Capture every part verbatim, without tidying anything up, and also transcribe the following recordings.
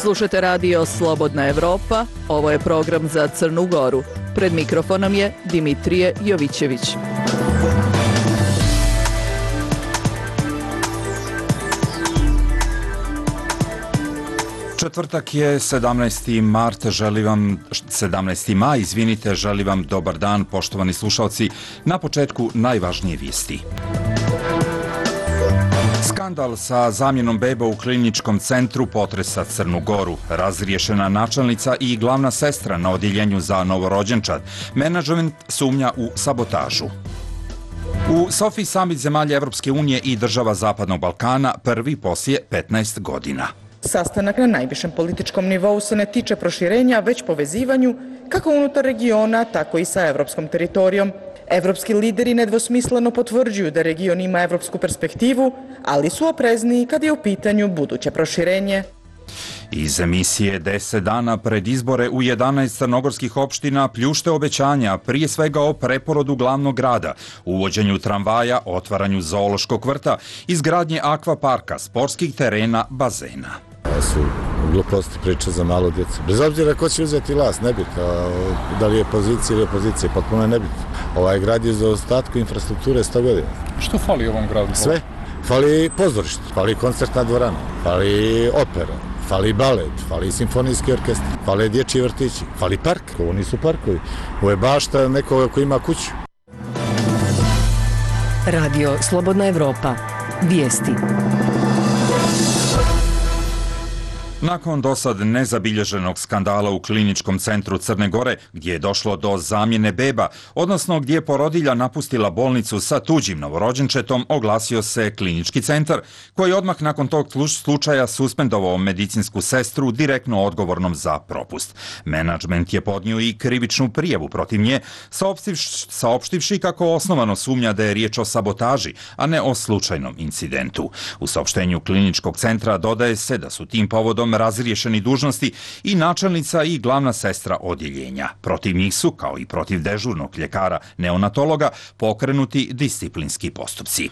Slušate radio Slobodna Evropa, ovo je program za Crnu Goru. Pred mikrofonom je Dimitrije Jovićević. Četvrtak je sedamnaesti mart, želim vam, sedamnaesti maj, izvinite, želim vam dobar dan, poštovani slušalci. Na početku najvažnije vijesti. Skandal sa zamjenom beba u kliničkom centru potresa Crnu Goru. Razriješena načelnica i glavna sestra na odjeljenju za novorođenčad. Menadžment sumnja u sabotažu. U Sofiji samit zemalja Evropske unije i država Zapadnog Balkana, prvi poslije petnaest godina. Sastanak na najvišem političkom nivou se ne tiče proširenja, već povezivanju kako unutar regiona, tako i sa evropskom teritorijom. Evropski lideri nedvosmisleno potvrđuju da region ima evropsku perspektivu, ali su oprezniji kad je u pitanju buduće proširenje. Iz emisije deset dana pred izbore u jedanaest crnogorskih opština pljušte obećanja, prije svega o preporodu glavnog grada, uvođenju tramvaja, otvaranju zoološkog vrta, izgradnje akvaparka, sportskih terena, bazena. Ovo su gluposti priče za malo djecu. Bez obzira ko će uzeti vlast, nebitno. Da li je pozicija ili opozicija, potpuno je nebitno. Ovaj grad je za ostatku infrastrukture sto godina. Što fali ovom gradu? Sve. Fali pozorište, fali koncertna dvorana, fali opera, fali balet, fali simfonijski orkestar, fali dječji vrtići, fali park. Ovo nisu parkovi. Ovo je bašta nekoga koji ima kuću. Radio Slobodna Evropa. Vijesti. Nakon dosad nezabilježenog skandala u kliničkom centru Crne Gore, gdje je došlo do zamjene beba, odnosno gdje je porodilja napustila bolnicu sa tuđim novorođenčetom, oglasio se klinički centar, koji je odmah nakon tog slučaja suspendovao medicinsku sestru direktno odgovornom za propust. Menadžment je podnio i krivičnu prijavu protiv nje, saopštivši kako osnovano sumnja da je riječ o sabotaži, a ne o slučajnom incidentu. U saopštenju kliničkog centra dodaje se da su tim povodom razriješeni dužnosti i načelnica i glavna sestra odjeljenja. Protiv njih su, kao i protiv dežurnog ljekara neonatologa, pokrenuti disciplinski postupci.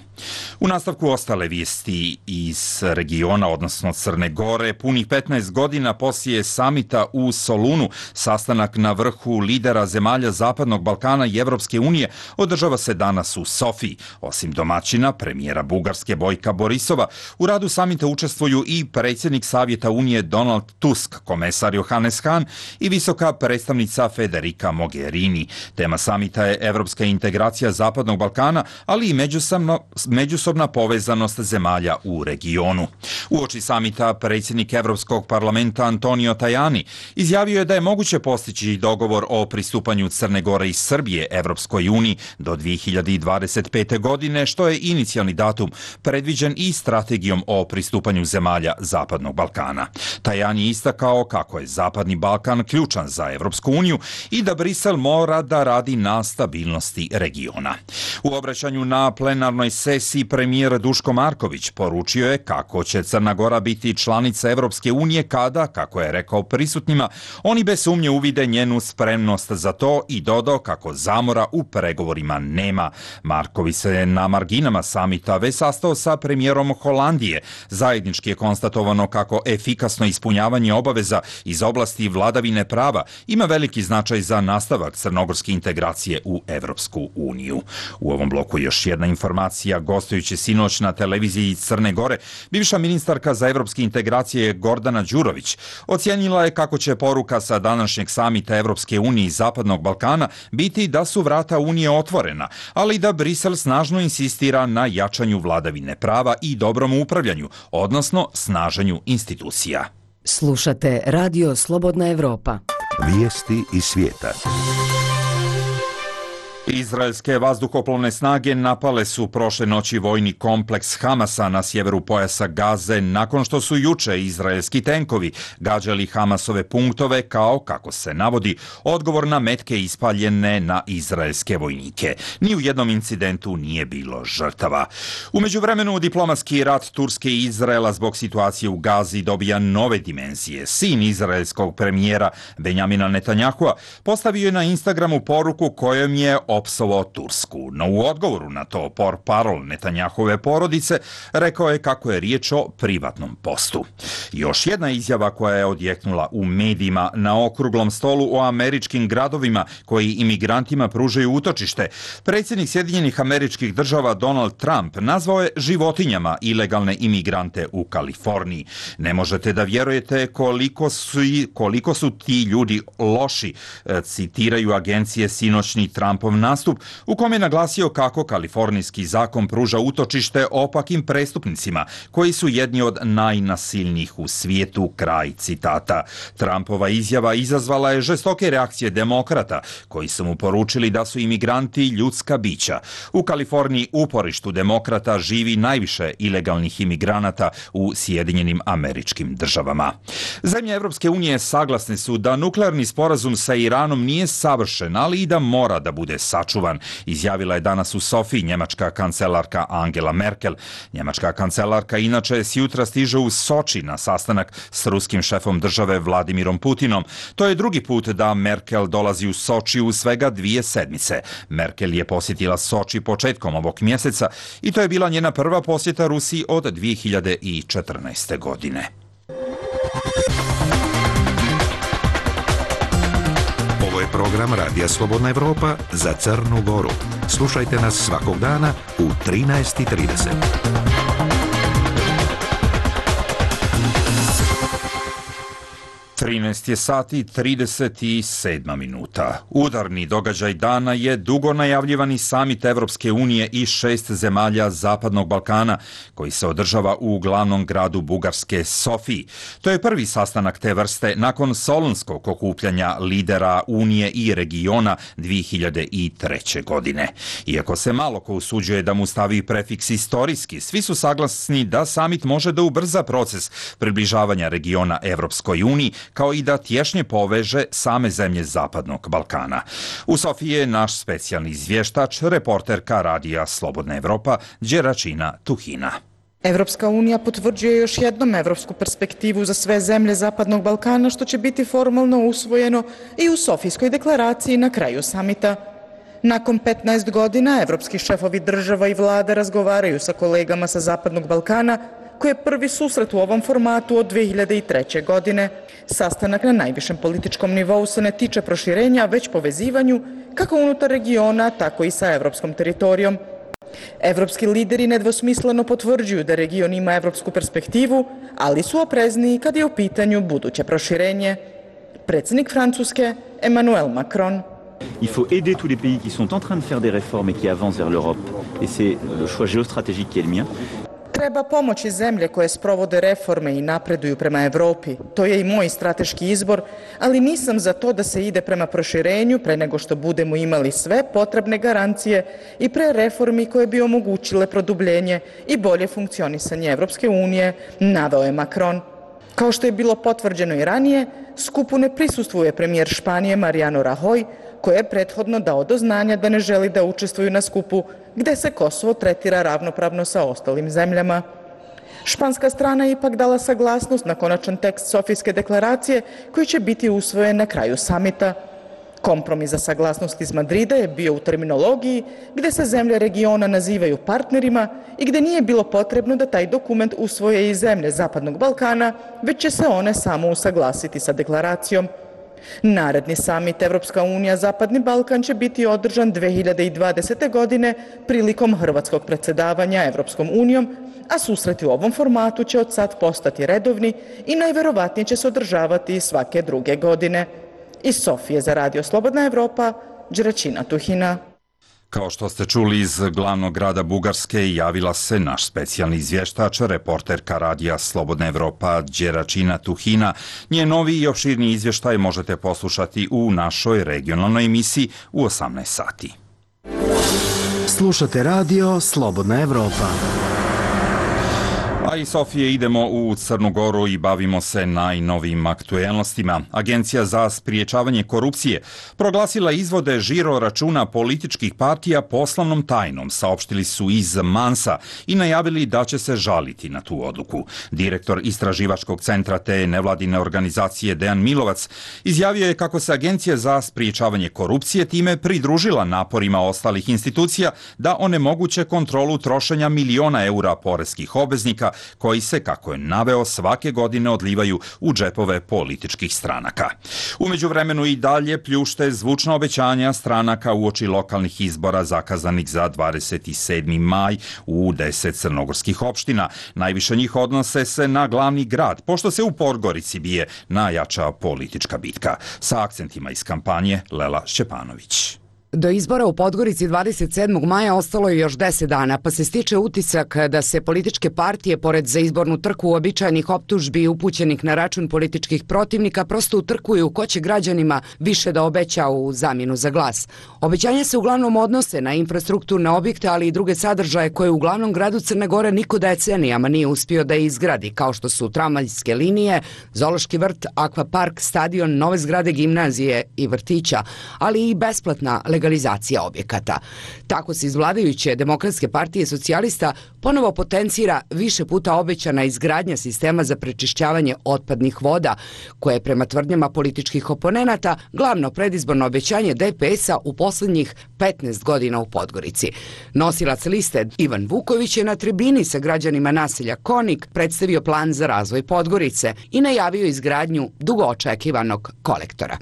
U nastavku ostale vijesti iz regiona, odnosno Crne Gore, punih petnaest godina poslije samita u Solunu, sastanak na vrhu lidera zemalja Zapadnog Balkana i Evropske unije održava se danas u Sofiji. Osim domaćina, premijera Bugarske Bojka Borisova, u radu samita učestvuju i predsjednik Savjeta Unije Donald Tusk, komesar Johannes Hahn i visoka predstavnica Federica Mogherini. Tema samita je evropska integracija Zapadnog Balkana, ali i međusobno, međusobna povezanost zemalja u regionu. Uoči samita predsjednik Evropskog parlamenta Antonio Tajani izjavio je da je moguće postići dogovor o pristupanju Crne Gore i Srbije Evropskoj uniji do dvije hiljade dvadeset pete. godine, što je inicijalni datum predviđen i strategijom o pristupanju zemalja Zapadnog Balkana. Tajani je istakao kako je Zapadni Balkan ključan za Evropsku uniju i da Brisel mora da radi na stabilnosti regiona. U obraćanju na plenarnoj sesiji premijer Duško Marković poručio je kako će Crna Gora biti članica Evropske unije kada, kako je rekao prisutnima, oni bez sumnje uvide njenu spremnost za to i dodao kako zamora u pregovorima nema. Marković se na marginama samita već sastao sa premijerom Holandije. Zajednički je konstatovano kako efikasno ispunjavanje obaveza iz oblasti vladavine prava ima veliki značaj za nastavak crnogorske integracije u Evropsku uniju. U ovom bloku još jedna informacija. Gostujući sinoć na televiziji Crne Gore, bivša ministarka za evropske integracije Gordana Đurović ocijenila je kako će poruka sa današnjeg samita Evropske unije i Zapadnog Balkana biti da su vrata Unije otvorena, ali da Brisel snažno insistira na jačanju vladavine prava i dobrom upravljanju, odnosno snaženju institucija. Slušate Radio Slobodna Evropa. Vijesti iz svijeta. Izraelske vazduhoplovne snage napale su prošle noći vojni kompleks Hamasa na sjeveru pojasa Gaze nakon što su juče izraelski tenkovi gađali Hamasove punktove kao, kako se navodi, odgovor na metke ispaljene na izraelske vojnike. Ni u jednom incidentu nije bilo žrtava. U međuvremenu diplomatski rat Turske i Izraela zbog situacije u Gazi dobija nove dimenzije. Sin izraelskog premijera Benjamina Netanjahua postavio je na Instagramu poruku kojom je opsovao Tursku, no u odgovoru na to portparol Netanjahove porodice rekao je kako je riječ o privatnom postu. Još jedna izjava koja je odjeknula u medijima na okruglom stolu o američkim gradovima koji imigrantima pružaju utočište. Predsjednik Sjedinjenih Američkih Država Donald Trump nazvao je životinjama ilegalne imigrante u Kaliforniji. Ne možete da vjerujete koliko su, koliko su ti ljudi loši, citiraju agencije sinoćni Trumpov nastup u kom je naglasio kako kalifornijski zakon pruža utočište opakim prestupnicima koji su jedni od najnasilnijih u svijetu, kraj citata. Trumpova izjava izazvala je žestoke reakcije demokrata koji su mu poručili da su imigranti ljudska bića. U Kaliforniji, uporištu demokrata, živi najviše ilegalnih imigranata u Sjedinjenim Američkim Državama. Zemlje Evropske unije saglasne su da nuklearni sporazum sa Iranom nije savršen, ali i da mora da bude sačuvan, izjavila je danas u Sofiji njemačka kancelarka Angela Merkel. Njemačka kancelarka inače s jutra stiže u Soči na sastanak s ruskim šefom države Vladimirom Putinom. To je drugi put da Merkel dolazi u Soči u svega dvije sedmice. Merkel je posjetila Soči početkom ovog mjeseca i to je bila njena prva posjeta Rusiji od dvije hiljade četrnaeste. godine. Ovo je program Radija Slobodna Evropa za Crnu Goru. Slušajte nas svakog dana u trinaest i trideset. trinaest je sati trideset sedam minuta. Udarni događaj dana je dugo najavljivani samit Evropske unije i šest zemalja Zapadnog Balkana koji se održava u glavnom gradu Bugarske Sofiji. To je prvi sastanak te vrste nakon solunskog okupljanja lidera Unije i regiona dvije hiljade treće. godine. Iako se malo ko usuđuje da mu stavi prefiks istorijski, svi su saglasni da samit može da ubrza proces približavanja regiona Evropskoj uniji, kao i da tješnje poveže same zemlje Zapadnog Balkana. U Sofiji je naš specijalni izvještač, reporterka Radija Slobodna Evropa, Đeračina Tuhina. Evropska unija potvrđuje još jednom evropsku perspektivu za sve zemlje Zapadnog Balkana, što će biti formalno usvojeno i u Sofijskoj deklaraciji na kraju samita. Nakon petnaest godina, evropski šefovi država i vlada razgovaraju sa kolegama sa Zapadnog Balkana, koji je prvi susret u ovom formatu od dvije hiljade treće. godine. Sastanak na najvišem političkom nivou se ne tiče proširenja, već povezivanju kako unutar regiona, tako i sa evropskom teritorijom. Evropski lideri nedvosmisleno potvrđuju da region ima evropsku perspektivu, ali su oprezniji kad je u pitanju buduće proširenje. Predsjednik Francuske Emmanuel Macron. Il faut aider tous les pays qui sont en train de faire des réformes et qui avancent vers l'Europe. Et c'est le choix géostratégique qui est le mien. Treba pomoći zemlje koje sprovode reforme i napreduju prema Evropi. To je i moj strateški izbor, ali nisam za to da se ide prema proširenju pre nego što budemo imali sve potrebne garancije i pre reformi koje bi omogućile produbljenje i bolje funkcionisanje Evropske unije, naveo je Macron. Kao što je bilo potvrđeno i ranije, skupu ne prisustvuje premijer Španije Mariano Rajoy, koji je prethodno dao do znanja da ne želi da učestvuju na skupu gde se Kosovo tretira ravnopravno sa ostalim zemljama. Španska strana je ipak dala saglasnost na konačan tekst Sofijske deklaracije koji će biti usvojen na kraju samita. Kompromis za saglasnost iz Madrida je bio u terminologiji gde se zemlje regiona nazivaju partnerima i gde nije bilo potrebno da taj dokument usvoje i zemlje Zapadnog Balkana, već će se one samo usaglasiti sa deklaracijom. Naredni samit Evropska unija Zapadni Balkan će biti održan dvije hiljade dvadesete. godine prilikom hrvatskog predsjedavanja Evropskom unijom, a susreti u ovom formatu će od sad postati redovni i najverovatnije će se održavati svake druge godine. Iz Sofije za Radio Slobodna Evropa, Đeračina Tuhina. Kao što ste čuli iz glavnog grada Bugarske, javila se naš specijalni izvještač, reporterka Radija Slobodna Evropa Đeračina Tuhina. Njen novi i opširni izvještaj možete poslušati u našoj regionalnoj emisiji u osamnaest sati. Slušate Radio Slobodna Evropa. A i Sofije idemo u Crnu Goru i bavimo se najnovijim aktuelnostima. Agencija za spriječavanje korupcije proglasila izvode žiro računa političkih partija poslovnom tajnom, saopštili su iz Mansa i najavili da će se žaliti na tu odluku. Direktor istraživačkog centra te nevladine organizacije Dejan Milovac izjavio je kako se Agencija za spriječavanje korupcije time pridružila naporima ostalih institucija da onemoguće kontrolu trošenja miliona eura poreskih obveznika koji se, kako je naveo, svake godine odlivaju u džepove političkih stranaka. U međuvremenu i dalje pljušte zvučna obećanja stranaka uoči lokalnih izbora zakazanih za dvadeset sedmi maj u deset crnogorskih opština. Najviše njih odnose se na glavni grad, pošto se u Podgorici bije najjača politička bitka. Sa akcentima iz kampanje Lela Šćepanović. Do izbora u Podgorici dvadeset sedmog maja ostalo je još deset dana, pa se stiče utisak da se političke partije, pored za izbornu trku uobičajenih optužbi upućenih na račun političkih protivnika, prosto utrkuju ko će građanima više da obeća u zamjenu za glas. Obećanja se uglavnom odnose na infrastrukturne objekte, ali i druge sadržaje koje u glavnom gradu Crne Gore niko decenijama nije uspio da izgradi, kao što su tramvajske linije, zoološki vrt, akvapark, stadion, nove zgrade gimnazije i vrtića, ali i besplatna legalizacija legalizacija objekata. Tako se iz vladajuće Demokratske partije socijalista ponovo potencira više puta obećana izgradnja sistema za prečišćavanje otpadnih voda, koje je prema tvrdnjama političkih oponenata glavno predizborno obećanje D P S-a u posljednjih petnaest godina u Podgorici. Nosilac liste Ivan Vuković je na tribini sa građanima naselja Konik predstavio plan za razvoj Podgorice i najavio izgradnju dugo očekivanog kolektora.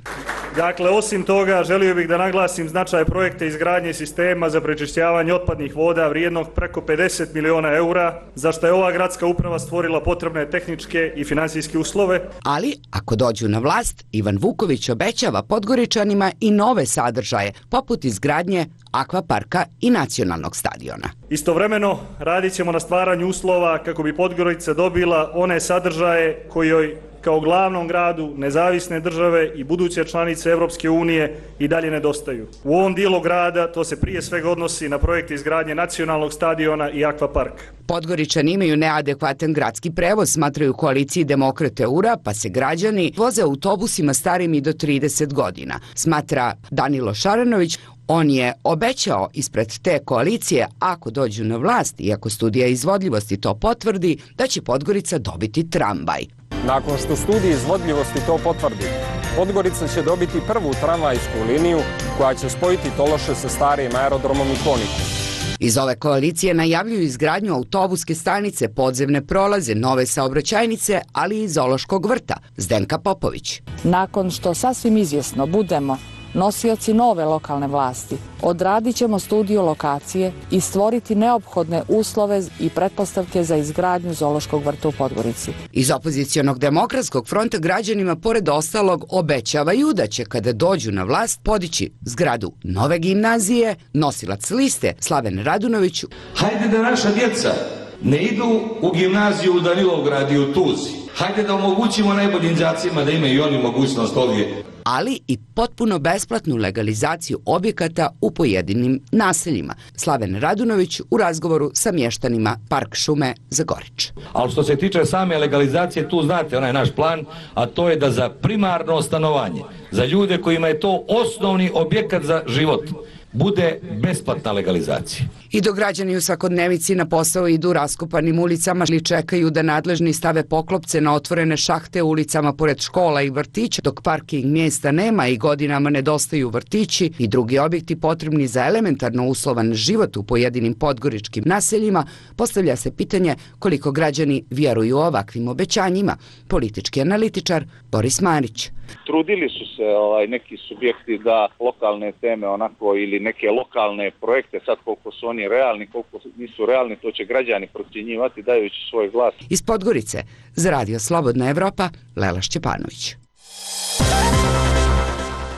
Dakle, osim toga, želio bih da naglasim značaj projekta izgradnje sistema za prečišćavanje otpadnih voda vrijednog preko pedeset miliona eura, za što je ova gradska uprava stvorila potrebne tehničke i financijske uslove. Ali, ako dođu na vlast, Ivan Vuković obećava Podgoričanima i nove sadržaje, poput izgradnje akvaparka i nacionalnog stadiona. Istovremeno, radit ćemo na stvaranju uslova kako bi Podgorica dobila one sadržaje koji joj kao glavnom gradu nezavisne države i buduće članice Europske unije i dalje nedostaju. U ovom dijelu grada to se prije svega odnosi na projekt izgradnje nacionalnog stadiona i akvaparka. Podgoričani imaju neadekvatan gradski prevoz, smatraju koaliciji Demokrate Eura, pa se građani voze autobusima starim i do trideset godina, smatra Danilo Šaranović. On je obećao ispred te koalicije, ako dođu na vlast i ako studija izvodljivosti to potvrdi, da će Podgorica dobiti tramvaj. Nakon što studija izvodljivosti to potvrdi, Podgorica će dobiti prvu tramvajsku liniju koja će spojiti Tološe sa starijim aerodromom i Konikom. Iz ove koalicije najavljuju izgradnju autobuske stanice, podzemne prolaze, nove saobraćajnice, ali i zoološkog vrta. Zdenka Popović. Nakon što sasvim izvjesno budemo nosioci nove lokalne vlasti, odradit ćemo studiju lokacije i stvoriti neophodne uslove i pretpostavke za izgradnju zoološkog vrta u Podgorici. Iz opozicionog Demokratskog fronta građanima pored ostalog obećavaju da će kada dođu na vlast podići zgradu nove gimnazije. Nosilac liste Slaven Radunović. Hajde da naša djeca ne idu u gimnaziju u Danilovgrad i u Tuzi. Hajde da omogućimo najboljim đacima da imaju i oni mogućnost ovdje. Ali i potpuno besplatnu legalizaciju objekata u pojedinim naseljima. Slaven Radunović u razgovoru sa mještanima Park šume Zagorić. Ali što se tiče same legalizacije, tu znate onaj naš plan, a to je da za primarno stanovanje, za ljude kojima je to osnovni objekat za život, bude besplatna legalizacija. I dok građani u svakodnevici na posao idu raskopanim ulicama ili čekaju da nadležni stave poklopce na otvorene šahte u ulicama pored škola i vrtića, dok parking mjesta nema i godinama nedostaju vrtići i drugi objekti potrebni za elementarno uslovan život u pojedinim podgoričkim naseljima, postavlja se pitanje koliko građani vjeruju ovakvim obećanjima. Politički analitičar Boris Marić. Trudili su se ovaj, neki subjekti da lokalne teme onako ili neke lokalne projekte, sad koliko su oni realni, koliko nisu realni, to će građani procjenjivati dajući svoj glas. Iz Podgorice za Radio Slobodna Evropa, Lela Šćepanović.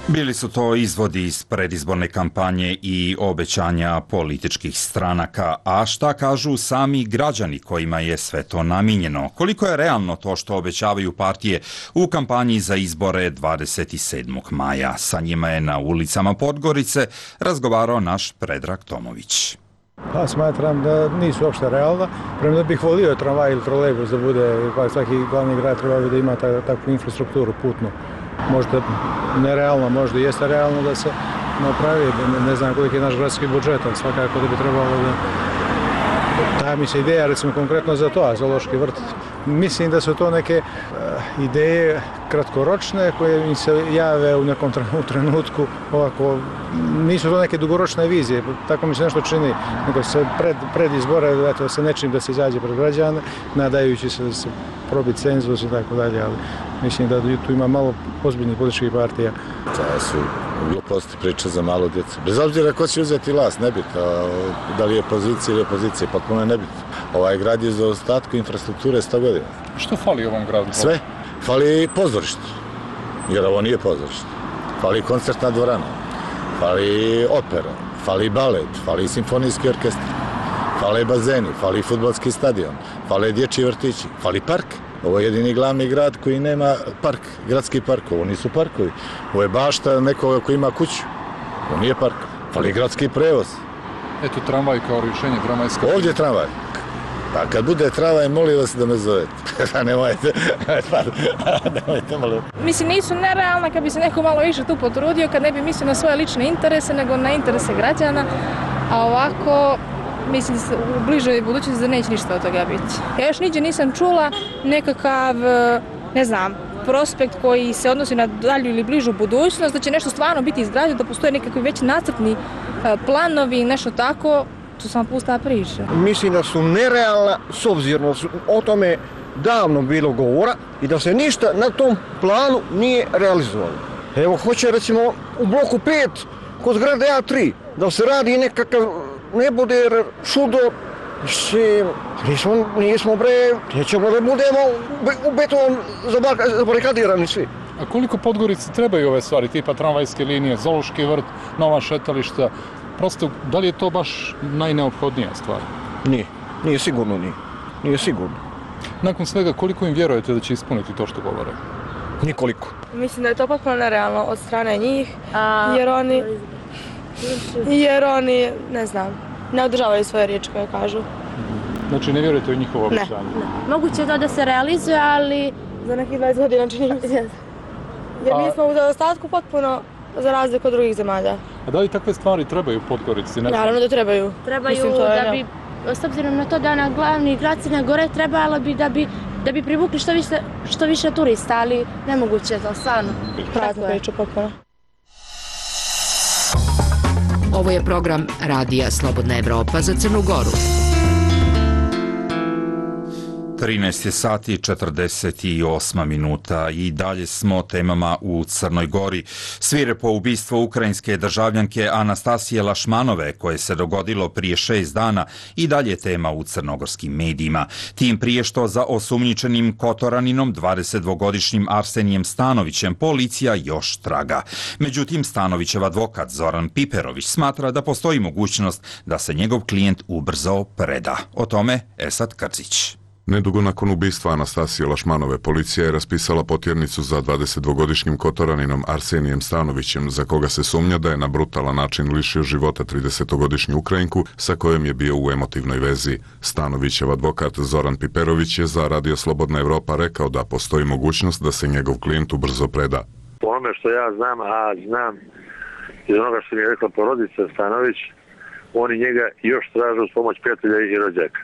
Bili su to izvodi iz predizborne kampanje i obećanja političkih stranaka, a šta kažu sami građani kojima je sve to namijenjeno? Koliko je realno to što obećavaju partije u kampanji za izbore dvadeset sedmog maja? Sa njima je na ulicama Podgorice razgovarao naš Predrag Tomović. Pa smatram da nisu uopšte realna. Prema da bih volio tramvaj ili trolejbus da bude, pa svaki glavni grad treba da ima ta, takvu infrastrukturu putnu. Možda nerealno, možda jeste realno da se napravi, ne, ne znam koliko je naš gradski budžet, ali svakako da bi trebalo da... Ta mi se ideja, recimo konkretno za to, a zoološki vrt, mislim da su to neke uh, ideje kratkoročne koje mi se jave u nekom trenutku, ovako, nisu to neke dugoročne vizije, tako mi se nešto čini, nego se pred, pred izbore, eto, sa nečim da se izađe pred građane, nadajući se da se probi cenzus i tako dalje, ali mislim da tu ima malo ozbiljnih političkih partija. To su gluposti priče za malo djecu. Bez obzira ko će uzeti vlast, nebitno, da li je pozicija ili opozicija, potpuno je nebitno. Ovaj grad je za ostatku infrastrukture sto godina. Što fali ovom gradu? Sve. Fali pozorište, jer ovo nije pozorište. Fali koncertna dvorana, fali opera, fali balet, fali simfonijski orkestar, fale bazeni, fali fudbalski stadion, fale dječji vrtići, fali park. Ovo je jedini glavni grad koji nema park, gradski park, ovo nisu parkovi. Ovo je bašta nekoga koji ima kuću, ovo nije park. Fali gradski prevoz. Eto tramvaj kao rješenje, tramvajska... Ovdje je tramvaj. Pa kad bude tramvaj, molim vas da me zovete. Nemojte, nemojte, molim. Mislim, nisu nerealna kad bi se neko malo više tu potrudio, kad ne bi mislio na svoje lične interese, nego na interese građana, a ovako... Mislim da u bližoj budućnosti da neće ništa od toga biti. Ja još niđe nisam čula nekakav, ne znam, prospekt koji se odnosi na dalju ili bližu budućnost, da će nešto stvarno biti izgrađeno, da postoje nekakvi već nacrtni planovi, nešto tako, to sam pusta priča. Mislim da su nerealna s obzirom da su o tome davno bilo govora i da se ništa na tom planu nije realizovalo. Evo, hoće recimo u bloku pet kod zgrade A tri da se radi nekakav ne bude čudo, nismo, nismo bre, nećemo da budemo u beton zabarikadirani svi. A koliko Podgorici trebaju ove stvari, tipa tramvajske linije, zoološki vrt, nova šetališta? Prosto, da li je to baš najneophodnija stvar? Nije, nije sigurno nije, nije sigurno. Nakon svega, koliko im vjerujete da će ispuniti to što govore? Nikoliko. Mislim da je to potpuno nerealno od strane njih, jer oni... Jer oni, ne znam, ne održavaju svoje riječi koje kažu. Znači ne vjerujete u njihovo obećanje? Ne, ne. Moguće je to da se realizuje, ali... Za nekih dvadeset godina čini mi se. Jer mi smo u zaostatku potpuno za razliku od drugih zemalja. A da li takve stvari trebaju Podgorici? Naravno da trebaju. Trebaju Mislim, da bi, s obzirom na to da na glavni grad Crne Gore trebalo bi da bi da bi privukli što više, što više turista, ali nemoguće je to, stvarno. Prazna priča potpuno. Ovo je program Radija Slobodna Evropa za Crnu Goru. trinaest je sati četrdeset osam minuta i dalje smo temama u Crnoj Gori. Svirepo ubistvo ukrajinske državljanke Anastasije Lašmanove, koje se dogodilo prije šest dana, i dalje tema u crnogorskim medijima. Tim prije što za osumnjičenim Kotoraninom, dvadesetdvogodišnjim Arsenijem Stanovićem, policija još traga. Međutim, Stanovićev advokat Zoran Piperović smatra da postoji mogućnost da se njegov klijent ubrzo preda. O tome Esad Krzić. Nedugo nakon ubistva Anastasije Lašmanove, policija je raspisala potjernicu za dvadesetdvogodišnjim Kotoraninom Arsenijem Stanovićem, za koga se sumnja da je na brutalan način lišio života tridesetogodišnju Ukrajinku sa kojom je bio u emotivnoj vezi. Stanovićev advokat Zoran Piperović je za Radio Slobodna Evropa rekao da postoji mogućnost da se njegov klijent ubrzo preda. Po onome što ja znam, a znam iz onoga što mi je rekla porodica Stanović, oni njega još traže uz pomoć prijatelja i rođaka.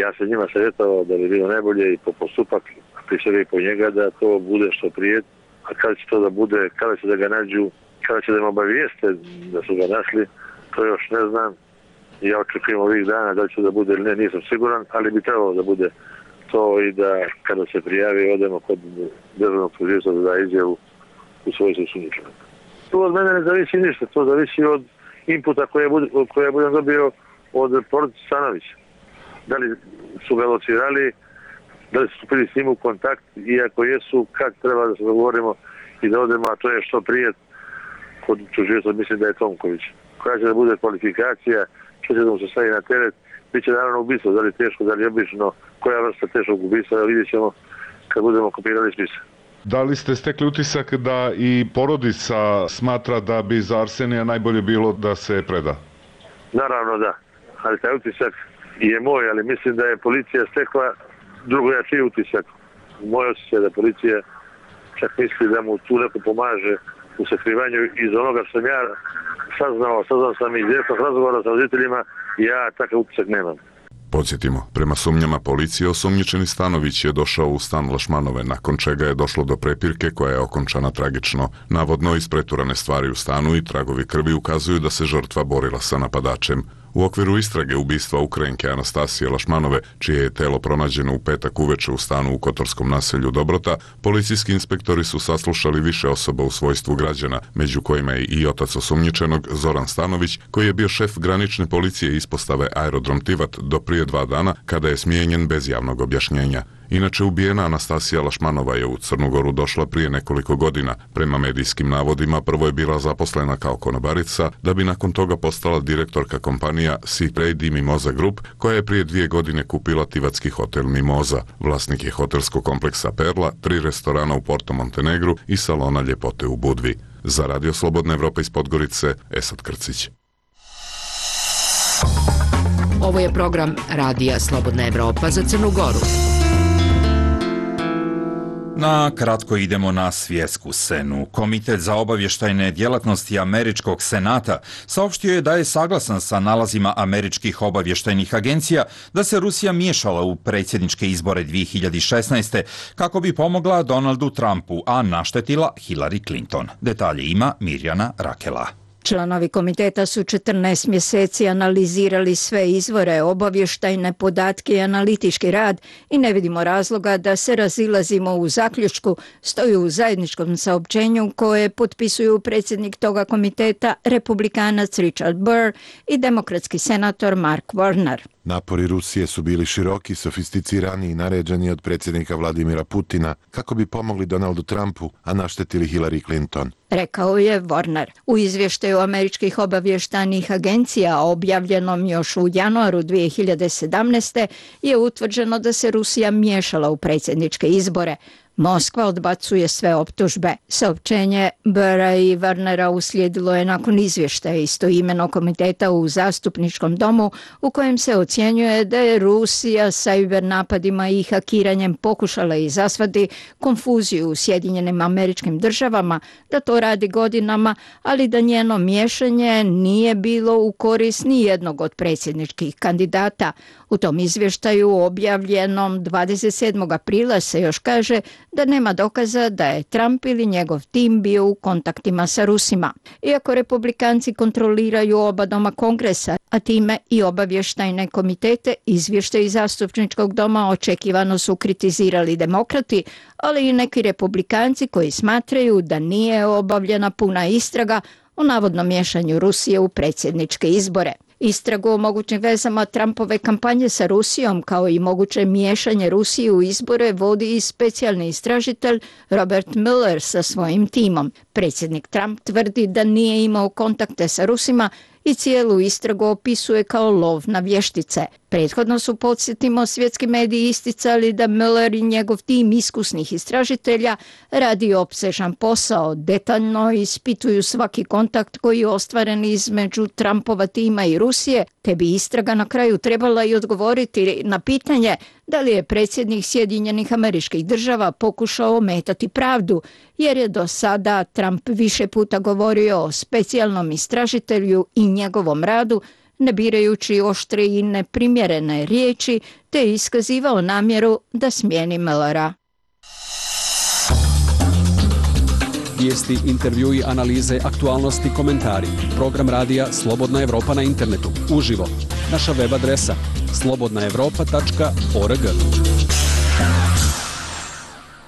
Ja sam njima savjetovao da bi bilo najbolje i po postupak, prije svega i po njega, da to bude što prije. A kada će to da bude, kada će da ga nađu, kada će da im obavijeste da su ga našli, to još ne znam. Ja očekujem ovih dana da će da bude ili ne, nisam siguran, ali bi trebalo da bude to i da kada se prijavi odemo kod državnog tužioca da da izjavu u svojoj osumnjičenom. To od mene ne zavisi ništa, to zavisi od inputa koje, bud, koje budem dobio od porodice Stanovića. Da li su ga locirali, da li su stupili s njim u kontakt i ako jesu, kad treba da se dogovorimo i da odemo, a to je što prije kod tužioca, mislim da je Tomković. Koja će da bude kvalifikacija, što će da mu se stavi na teret, bit će naravno ubistvo, da li teško, da li obično, koja vrsta teškog ubistva, vidjet ćemo kad budemo kopirali spisa. Da li ste stekli utisak da i porodica smatra da bi za Arsenija najbolje bilo da se preda? Naravno da. ali taj utisak je moj, ali mislim da je policija stekla drugojačiji utisak. Moj osjećaj da policija čak misli da mu tu neko pomaže u sakrivanju iz onoga što sam ja saznao, saznao sam iz direktnog razgovora sa roditeljima, ja takav utisak nemam. Podsjetimo, prema sumnjama policije, osumnjičeni Stanović je došao u stan Lašmanove, nakon čega je došlo do prepirke koja je okončana tragično. Navodno, ispreturane stvari u stanu i tragovi krvi ukazuju da se žrtva borila sa napadačem. U okviru istrage ubistva Ukrajinke Anastasije Lašmanove, čije je telo pronađeno u petak uveče u stanu u kotorskom naselju Dobrota, policijski inspektori su saslušali više osoba u svojstvu građana, među kojima je i otac osumnjičenog Zoran Stanović, koji je bio šef granične policije ispostave Aerodrom Tivat do prije dva dana, kada je smijenjen bez javnog objašnjenja. Inače, ubijena Anastasija Lašmanova je u Crnu Goru došla prije nekoliko godina. Prema medijskim navodima, prvo je bila zaposlena kao konobarica, da bi nakon toga postala direktorka kompanija Sea Trade i Mimoza Group, koja je prije dvije godine kupila tivatski hotel Mimoza. Vlasnik je hotelskog kompleksa Perla, tri restorana u Porto Montenegru i salona ljepote u Budvi. Za Radio Slobodna Evropa iz Podgorice, Esad Krcić. Ovo je program Radija Slobodna Evropa za Crnu Goru. Na kratko idemo na svjetsku scenu. Komitet za obavještajne djelatnosti Američkog senata saopštio je da je saglasan sa nalazima američkih obavještajnih agencija da se Rusija miješala u predsjedničke izbore dvije hiljade šesnaeste kako bi pomogla Donaldu Trumpu, a naštetila Hillary Clinton. Detalje ima Mirjana Rakela. Članovi komiteta su četrnaest mjeseci analizirali sve izvore, obavještajne podatke i analitički rad i ne vidimo razloga da se razilazimo u zaključku, stoji u zajedničkom saopćenju koje potpisuju predsjednik toga komiteta, republikanac Richard Burr i demokratski senator Mark Warner. Napori Rusije su bili široki, sofisticirani i naređeni od predsjednika Vladimira Putina kako bi pomogli Donaldu Trumpu, a naštetili Hillary Clinton. Rekao je Warner. U izvještaju američkih obavještajnih agencija objavljenom još u januaru dvije hiljade sedamnaeste. je utvrđeno da se Rusija miješala u predsjedničke izbore. Moskva odbacuje sve optužbe. Saopćenje Burra i Warnera uslijedilo je nakon izvještaja istoimenog komiteta u zastupničkom domu u kojem se ocjenjuje da je Rusija sajber napadima i hakiranjem pokušala izazvati konfuziju u Sjedinjenim Američkim Državama, da to radi godinama, ali da njeno miješanje nije bilo u korist ni jednog od predsjedničkih kandidata. U tom izvještaju objavljenom dvadeset sedmog aprila se još kaže da nema dokaza da je Trump ili njegov tim bio u kontaktima sa Rusima. Iako republikanci kontroliraju oba doma Kongresa, a time i obavještajne komitete, izvještaji zastupničkog doma očekivano su kritizirali demokrati, ali i neki republikanci koji smatraju da nije obavljena puna istraga o navodnom miješanju Rusije u predsjedničke izbore. Istragu o mogućim vezama Trumpove kampanje sa Rusijom kao i moguće miješanje Rusije u izbore vodi i specijalni istražitelj Robert Mueller sa svojim timom. Predsjednik Trump tvrdi da nije imao kontakte sa Rusima i cijelu istragu opisuje kao lov na vještice. Prethodno su, podsjetimo, svjetski mediji isticali da Mueller i njegov tim iskusnih istražitelja radi opsežan posao, detaljno ispituju svaki kontakt koji je ostvaren između Trumpova tima i Rusije, te bi istraga na kraju trebala i odgovoriti na pitanje da li je predsjednik Sjedinjenih Američkih Država pokušao ometati pravdu, jer je do sada Trump više puta govorio o specijalnom istražitelju i njegovom radu, ne birajući oštre i neprimjerene riječi, te iskazivao namjeru da smijeni Muellera. Vijesti, intervjui, analize, aktualnosti, komentari. Program radija Slobodna Evropa na internetu, uživo. Naša web adresa slobodna evropa tačka org.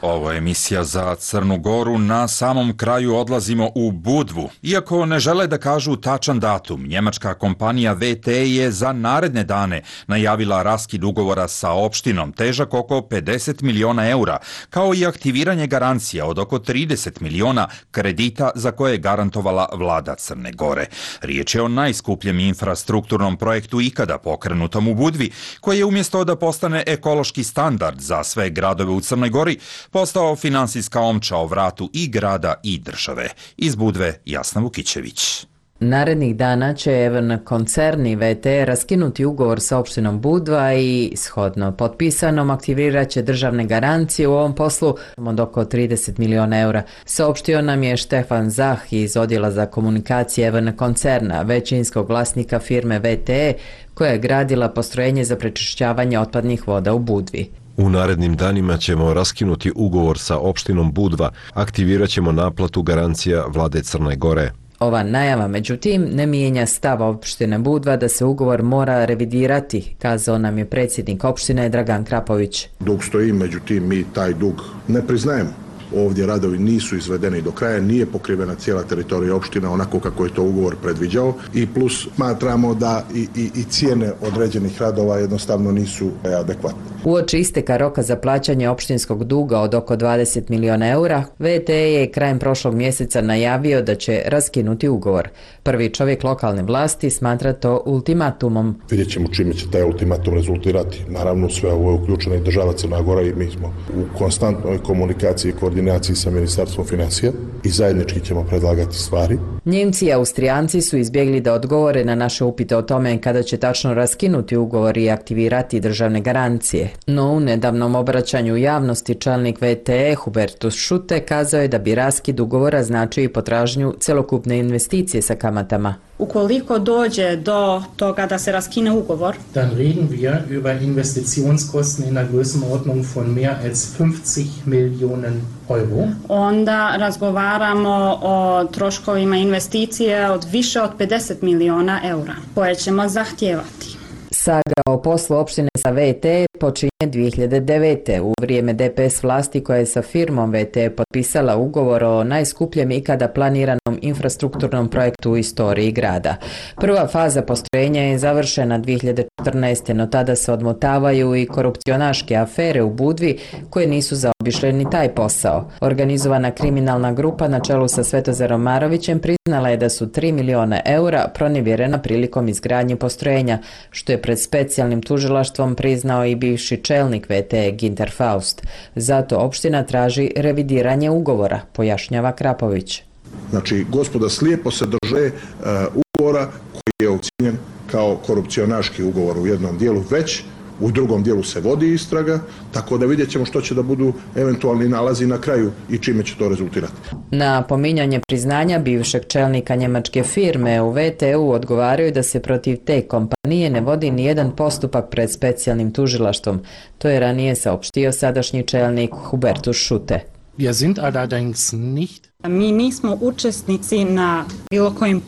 Ovo je emisija za Crnu Goru. Na samom kraju odlazimo u Budvu. Iako ne žele da kažu tačan datum, njemačka kompanija V T je za naredne dane najavila raskid ugovora sa opštinom težak oko pedeset miliona eura, kao i aktiviranje garancija od oko trideset miliona kredita za koje je garantovala vlada Crne Gore. Riječ je o najskupljem infrastrukturnom projektu ikada pokrenutom u Budvi, koji je umjesto da postane ekološki standard za sve gradove u Crnoj Gori, postao finansijska omča o vratu i grada i države. Iz Budve, Jasna Vukićević. Narednih dana će Evn koncerni V T raskinuti ugovor sa opštinom Budva i shodno potpisanom aktivirat će državne garancije u ovom poslu od oko trideset miliona eura. Saopštio nam je Štefan Zah iz odjela za komunikacije Evn koncerna, većinskog vlasnika firme V T E, koja je gradila postrojenje za prečišćavanje otpadnih voda u Budvi. U narednim danima ćemo raskinuti ugovor sa opštinom Budva, aktivirat ćemo naplatu garancija vlade Crne Gore. Ova najava, međutim, ne mijenja stav opštine Budva da se ugovor mora revidirati, kazao nam je predsjednik opštine Dragan Krapović. Dug stoji, međutim, mi taj dug ne priznajemo. Ovdje radovi nisu izvedeni do kraja, nije pokrivena cijela teritorija opština onako kako je to ugovor predviđao i plus smatramo da i, i, i cijene određenih radova jednostavno nisu adekvatne. Uoči isteka roka za plaćanje opštinskog duga od oko dvadeset miliona eura, V T E je krajem prošlog mjeseca najavio da će raskinuti ugovor. Prvi čovjek lokalne vlasti smatra to ultimatumom. Vidjet ćemo čime će taj ultimatum rezultirati. Naravno, sve ovo je uključena i država Crna Gora i mi smo u konstantnoj komunikaciji i koordinaciji sa Ministarstvom financija i zajednički ćemo predlagati stvari. Njemci i Austrijanci su izbjegli da odgovore na naše upite o tome kada će tačno raskinuti ugovor i aktivirati državne garancije. No u nedavnom obraćanju javnosti čelnik V T E Hubertus Šute kazao je da bi raskid ugovora značio i potražnju celokupne investicije sa kamatama. Ukoliko dođe do toga da se raskine ugovor, dann reden wir über Investitionskosten in der Größenordnung von mehr als fünfzig Millionen Euro. Onda razgovaramo o troškovima investicije od više od pedeset miliona eura koje ćemo zahtijevati. Saga o poslu opštine sa V T E počinje dvije hiljade devete. u vrijeme D P S vlasti koja je sa firmom V T E potpisala ugovor o najskupljem ikada planiranom infrastrukturnom projektu u istoriji grada. Prva faza postrojenja je završena dvije hiljade četrnaeste. no tada se odmotavaju i korupcionaške afere u Budvi koje nisu zaobišle ni taj posao. Organizovana kriminalna grupa na čelu sa Svetozarom Marovićem priznala je da su tri miliona eura pronevjerena prilikom izgradnje postrojenja, što je pred specijalnim tužilaštvom priznao i bivši čelnik V T E Ginter Faust. Zato opština traži revidiranje ugovora, pojašnjava Krapović. Znači, gospoda slijepo se drže uh, ugovora koji je ocijenjen kao korupcionaški ugovor u jednom dijelu, već u drugom dijelu se vodi istraga, tako da vidjet ćemo što će da budu eventualni nalazi na kraju i čime će to rezultirati. Na pominjanje priznanja bivšeg čelnika njemačke firme u V T E-u odgovaraju da se protiv te kompanije ne vodi nijedan postupak pred specijalnim tužilaštvom. To je ranije saopštio sadašnji čelnik Hubertus Šute. Wir sind allerdings nicht Mi nismo učesnici na bilo kojim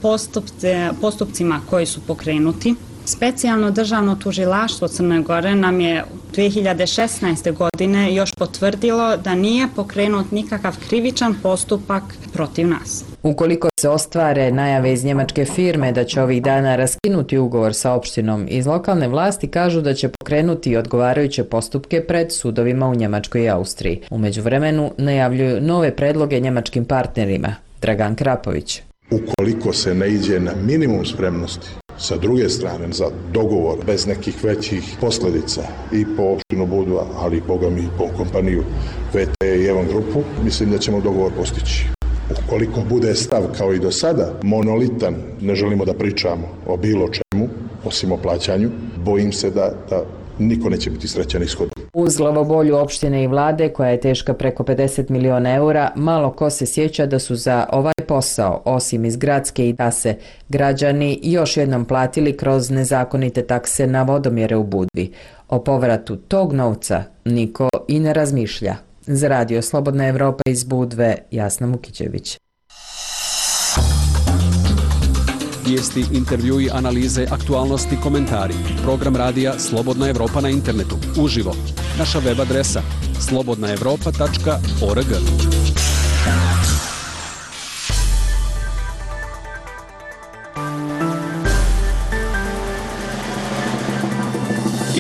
postupcima koji su pokrenuti. Specijalno državno tužilaštvo Crne Gore nam je dvije hiljade šesnaeste. godine još potvrdilo da nije pokrenut nikakav krivičan postupak protiv nas. Ukoliko se ostvare najave iz njemačke firme da će ovih dana raskinuti ugovor sa opštinom, iz lokalne vlasti kažu da će pokrenuti odgovarajuće postupke pred sudovima u Njemačkoj i Austriji. U međuvremenu najavljuju nove predloge njemačkim partnerima. Dragan Krapović. Ukoliko se ne iđe na minimum spremnosti sa druge strane za dogovor bez nekih većih posljedica i po opštinu Budva, ali i boga mi po kompaniju V T E i Evn grupu, mislim da ćemo dogovor postići. Ukoliko bude stav kao i do sada monolitan, ne želimo da pričamo o bilo čemu, osim o plaćanju, bojim se da, da niko neće biti srećan ishod. Uz glavobolju opštine i vlade, koja je teška preko pedeset miliona eura, malo ko se sjeća da su za ovaj posao, osim iz gradske i tase, građani još jednom platili kroz nezakonite takse na vodomjere u Budvi. O povratu tog novca niko i ne razmišlja. Za Radio Slobodna Evropa iz Budve, Jasna Mukićević. Vijesti, intervjui, analize, aktualnosti, komentari. Program radija Slobodna Evropa na internetu. Uživo. Naša web adresa slobodna evropa tačka org.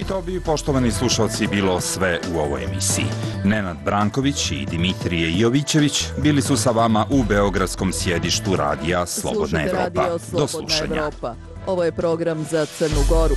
To bi, poštovani slušalci, bilo sve u ovoj emisiji. Nenad Branković i Dimitrije Jovićević bili su sa vama u beogradskom sjedištu radija Slobodna Evropa. Do slušanja. Ovo je program za Crnu Goru.